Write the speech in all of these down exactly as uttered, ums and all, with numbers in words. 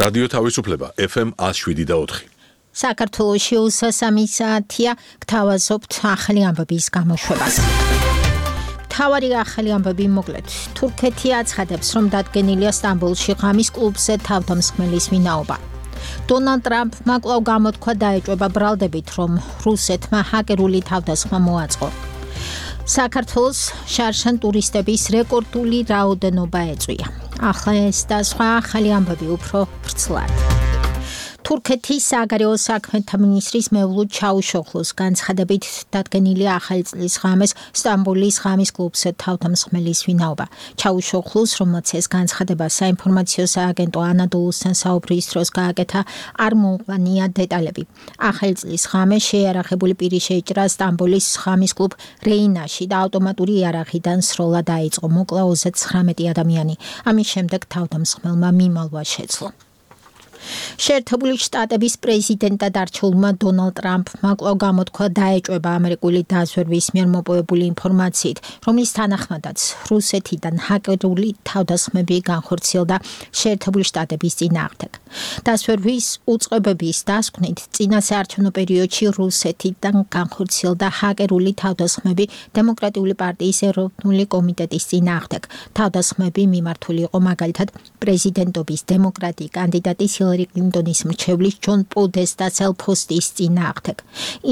რადიო თავისუფლება ეფ ემ one oh seven და four. საქართველოში უსასამი საათია გთავაზობთ ახალი ამბების გამოშვებას. თავარი ახალი ამბები მოკლედ. თურქეთი აცხადებს, რომ დადგენილია სტამბოლში ღამის კლუბზე თავდამსხმელის ვინაობა. დონალდ ტრამპმა კვლავ გამოთქვა დაეჭვება ბრალდებით, რომ რუსეთმა ჰაკერული თავდასხმა მოაწყო. საქართველოს შარშან ტურისტების რეკორდული რაოდენობა ეწვია. ახლა ეს და სხვა ახალი ამბები უფრო ვრცლად. თურქეთის საგარეო საქმეთა მინისტრის მევლუდ ჩაუშოხლუს განცხადებით დადგენილია ახალი წლის ღამეს სტამბოლის ღამის კლუბზე თავდამსხმელის ვინაობა. ჩაუშოხლუს, რომელმაც ეს განცხადება საინფორმაციო სააგენტო ანადოლუსთან საუბრის დროს გააკეთა, არ მოუყვანია დეტალები. ახალი წლის ღამეს შეიარაღებული პირი შეიჭრა სტამბოლის ღამის კლუბ რეინაში და ავტომატური იარაღიდან სროლა დაიწყო. მოკლა ოცდათვრამეტი ადამიანი. ამის შემდეგ თავდამსხმელმა მიმალვა შეძლო. შეერთებული შტატების პრეზიდენტად არჩეულმა დონალდ ტრამპმა კვლავ გამოთქვა დაეჭვება ამერიკული დაზვერვის მიერ მოპოვებული ინფორმაციით, რომლის თანახმადაც რუსეთიდან ჰაკერული თავდასხმები განხორციელდა შეერთებული შტატების წინააღმდეგ. დაზვერვის უწყებების დასკვნით, წინა საარჩევნო პერიოდში რუსეთიდან განხორციელდა ჰაკერული თავდასხმები დემოკრატიული პარტიის ეროვნული კომიტეტის წინააღმდეგ. თავდასხმები მიმართული იყო მაგალითად პრეზიდენტობის დემოკრატი კანდიდატის ჰილარი კლინტონის მრჩევლის ჯონ პოდესტას ელფოსტის წინააღმდეგ.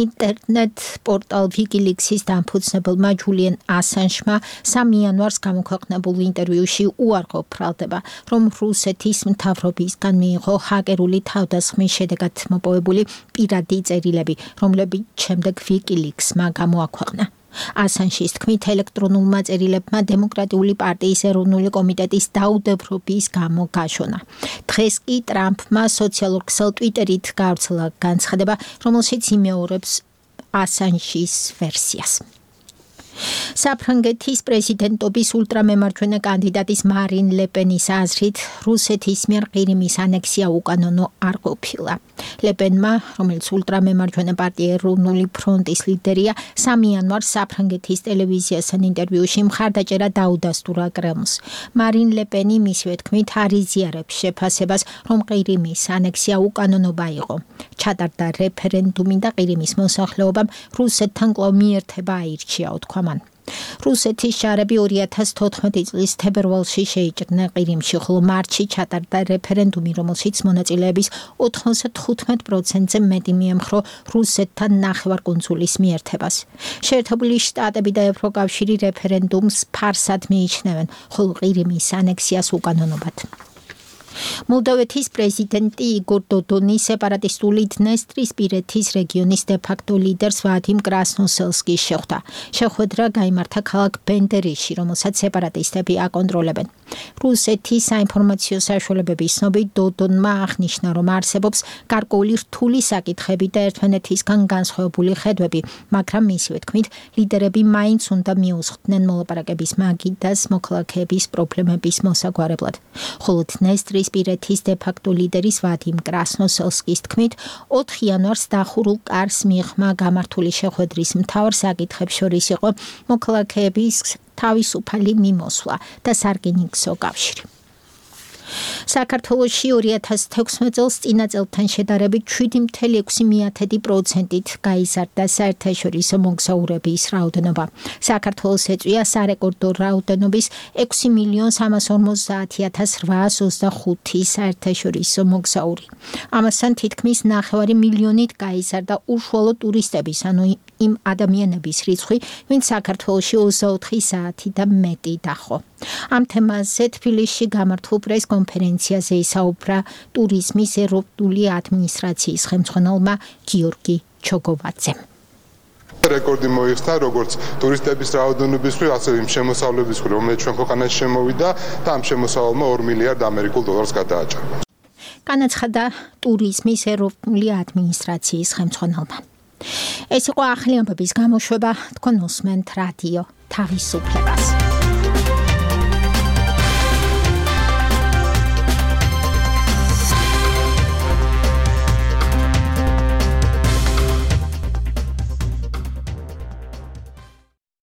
ინტერნეტ პორტალ ვიკილიქსის დამფუძნებელმა ჯულიენ ასანჟმა სამი იანვარს გამოქვეყნებულ ინტერვიუში უარყოფ ბრალდება, რომ რუსეთის მთავრობისგან მიიღო ჰაკერული თავდასხმის შედეგად მოპოვებული პირადი წერილები, რომლებიც შემდეგ ვიკილიქსმა გამოაქვეყნა. ასანჟის თქმით, ელექტრონულმა წერილებმა დემოკრატიული პარტიის ეროვნული კომიტეტის დაუდევრობის გამო გაშონა. დღეს კი ტრამპმა სოციალურ ქსელ ტვიტერით გავრცელა განცხადება, რომელშიც იმეორებს ასანჟის ვერსიას. საფრანგეთის პრეზიდენტობის ულტრამემარჯვენე კანდიდატის მარინ ლეპენის აზრით, რუსეთის მიერ ყირიმის ანექსია უკანონო არ ყოფილა. ლეპენმა, რომელიც ულტრამემარჯვენე პარტია ეროვნული ფრონტის ლიდერია, სამი იანვარს საფრანგეთის ტელევიზიასთან ინტერვიუში მხარდაჭერა დაუდასტურა კრემლს. მარინ ლეპენი მისივე თქმით არ იზიარებს შეფასებას, რომ ყირიმის ანექსია უკანონობა იყო. ჩატარდა რეფერენდუმი და ყირიმის მოსახლეობამ რუსეთთან კვლავ მიერთება აირჩია, თქვა მან. რუსეთის ჯარები ორი ათას თოთხმეტი წლის თებერვალში შეიჭრნენ ყირიმში, ხოლო მარტში ჩატარდა რეფერენდუმი, რომელშიც მონაწილეების ოთხმოცდათხუთმეტ პროცენტზე მეტი მიემხრო რუსეთთან ნახევარკუნძულის მიერთებას. შეერთებული შტატები და ევროკავშირი რეფერენდუმს ფარსად მიიჩნევენ, ხოლო ყირიმის ანექსიას უკანონობად. მოლდოვეთის პრეზიდენტი იგორ დოდონი სეპარატისტული დნესტრისპირეთის რეგიონის დე-ფაქტო ლიდერს ვადიმ კრასნოსელსკის შეხვდა. შეხვედრა გაიმართა ქალაქ ბენდერიში, რომელსაც სეპარატისტები აკონტროლებენ. რუსეთის საინფორმაციო საშუალებების ცნობით დოდონმა აღნიშნა, რომ არსებობს გარკვეული რთული საკითხები და ერთმანეთისგან განსხვავებული ხედვები, მაგრამ მისივე თქმით, ლიდერები მაინც უნდა მიუსხდნენ მოლაპარაკების მაგიდას მოქალაქეების პრობლემების მოსაგვარებლად. ხოლო დნესტრისპირეთის დე-ფაქტო ლიდერის ვადიმ კრასნოსელსკის თქმით, ოთხ იანვარს დახურულ კარს მიღმა გამართული შეხვედრის მთავარ საკითხებს შორის იყო მოქალაქეების თავისუფალი მიმოსვლა და სარკინიგზო კავშირი. საქართველოში ორი ათას თექვსმეტ წელს წინა წელთან შედარებით შვიდი წუთი ექვსი პროცენტით გაიზარდა საერთაშორისო მოგზაურების რაოდენობა. საქართველოს ეწვია სარეკორდო რაოდენობის ექვსი მილიონ სამას ორმოცდაათი ათას რვაას ოცდახუთი საერთაშორისო მოგზაური. ამასთან თითქმის ნახევარი მილიონით გაიზარდა უშუალო ტურისტების, ანუ იმ ადამიანების რიცხვი, ვინც საქართველოში ოცდაოთხი საათი და მეტი დახო. ამ თემაზე თბილისში გამართულ პრეს კონფერენციაზე ისაუბრა ტურიზმის ეროვნული ადმინისტრაციის ხელმძღვანელმა გიორგი ჩოგოვაძემ. რეკორდი მოიხსნა როგორც ტურისტების რაოდენობის მხრივ, ასევე იმ შემოსავლების მხრივ, რომელიც ჩვენ ქვეყანაში შემოვიდა და ამ შემოსავალმა ორ მილიარდ ამერიკულ დოლარს გადააჭარბა. განაცხადა ტურიზმის ეროვნული ადმინისტრაციის ხელმძღვანელმა. ეს იყო ახალი ამბების გამოშვება, თქვენ უსმენთ რადიო თავისუფლება.